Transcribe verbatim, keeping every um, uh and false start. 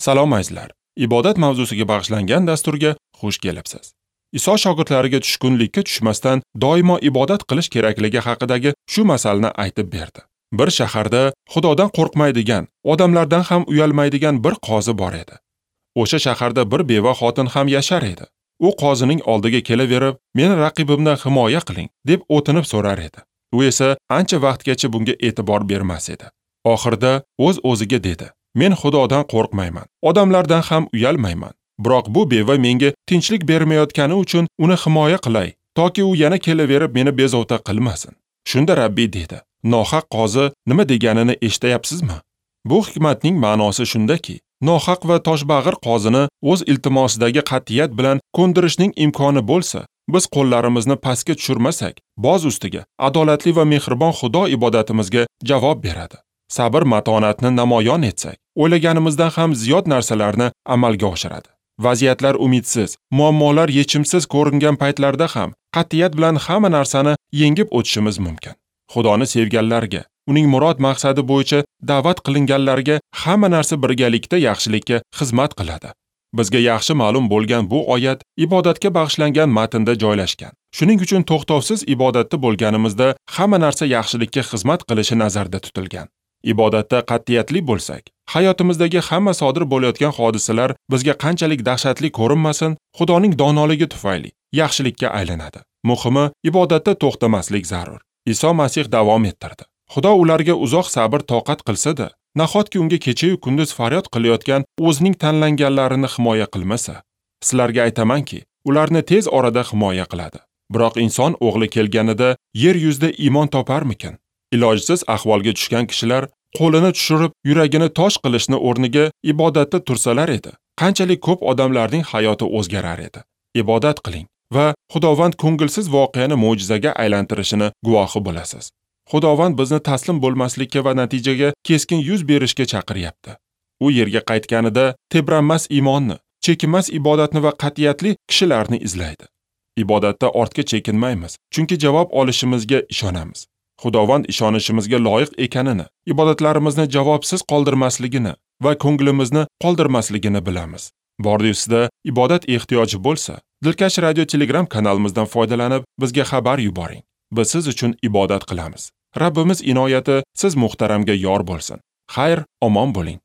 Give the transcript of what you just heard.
Salom azizlar. Ibodat mavzusiga bag'ishlangan dasturga xush kelibsiz. Iso shogirdlariga tushkunlikka tushmasdan doimo ibodat qilish kerakligi haqidagi shu masalni aytib berdi. Bir shaharda Xudodan qo'rqmaydigan, odamlardan ham uyalmaydigan bir qozi bor edi. O'sha shaharda bir beva xotin ham yashar edi. U qozining oldiga kelaverib, "Meni raqibimdan himoya qiling" deb o'tinib so'rar edi. U esa ancha vaqtgacha bunga e'tibor bermas edi. Oxirida o'z-o'ziga dedi: "Men Xudodan qo'rqmayman, odamlardan ham uyalmayman. Biroq bu beva menga tinchlik bermayotgani uchun uni himoya qilay, toki u yana kelaverib meni bezovta qilmasin." Shunda Rabbiy dedi: "Nohaq qozi nima deganini eshitayapsizmi?" Bu hikmatning ma'nosi shundaki, nohaq va toshbag'ir qozini o'z iltimosidagi qat'iyat bilan ko'ndirishning imkoni bo'lsa, biz qo'llarimizni pastga tushirmasak, boz ustiga adolatli va mehribon Xudo ibodatimizga javob beradi. Sabr matonatni namoyon etsak, o'ylaganimizdan ham ziyod narsalarni amalga oshiradi. Vaziyatlar umidsiz, muammolar yechimsiz ko'ringan paytlarda ham qat'iyat bilan hamma narsani yengib o'tishimiz mumkin. Xudoni sevganlarga, uning murod maqsadi bo'yicha da'vat qilinganlarga hamma narsa birgalikda yaxshilikka xizmat qiladi. Bizga yaxshi ma'lum bo'lgan bu oyat ibodatga bag'ishlangan matnda joylashgan. Shuning uchun to'xtovsiz ibodatda bo'lganimizda hamma narsa yaxshilikka xizmat qilishi nazarda tutilgan. Ibodatda qat'iyatli bo'lsak, hayotimizdagi hamma sodir bo'layotgan hodisalar bizga qanchalik dahshatli ko'rinmasin, Xudoning donoligi tufayli yaxshilikka aylanadi. Muhimi, ibodatda to'xtamaslik zarur. Iso Masih davom ettirdi. Xudo ularga uzoq sabr toqat qilsa-da, nahotki unga kecha-yu kunduz faryod qilayotgan o'zining tanlanganlarini himoya qilmasa? Sizlarga aytamanki, ularni tez orada himoya qiladi. Biroq inson o'g'li kelganida yer yuzida iymon toparmikin? Ilojsiz ahvolga tushgan kishilar qo'lini tushirib, yuragini tosh qilishni o'rniga ibodatda tursalar edi, qanchalik ko'p odamlarning hayoti o'zgarar edi. Ibodat qiling va Xudovand ko'ngilsiz voqeani mo'jizaga aylantirishini guvohi bo'lasiz. Xudovand bizni taslim bo'lmaslikka va natijaga keskin yuz berishga chaqiryapti. U yerga qaytganida tebranmas iymonni, chekinmas ibodatni va qat'iyatli kishilarni izlaydi. Ibodatda ortga chekinmaymiz, chunki javob olishimizga ishonamiz. Xudovand ishonishimizga loyiq ekanini, ibodatlarimizni javobsiz qoldirmasligini va ko'nglimizni qoldirmasligini bilamiz. Bordi sizda ibodat ehtiyoji bo'lsa, Dilkash Radio Telegram kanalimizdan foydalanib bizga xabar yuboring. Biz siz uchun ibodat qilamiz. Rabbimiz inoyati siz muhtaramga yor bo'lsin. Xayr, omon bo'ling.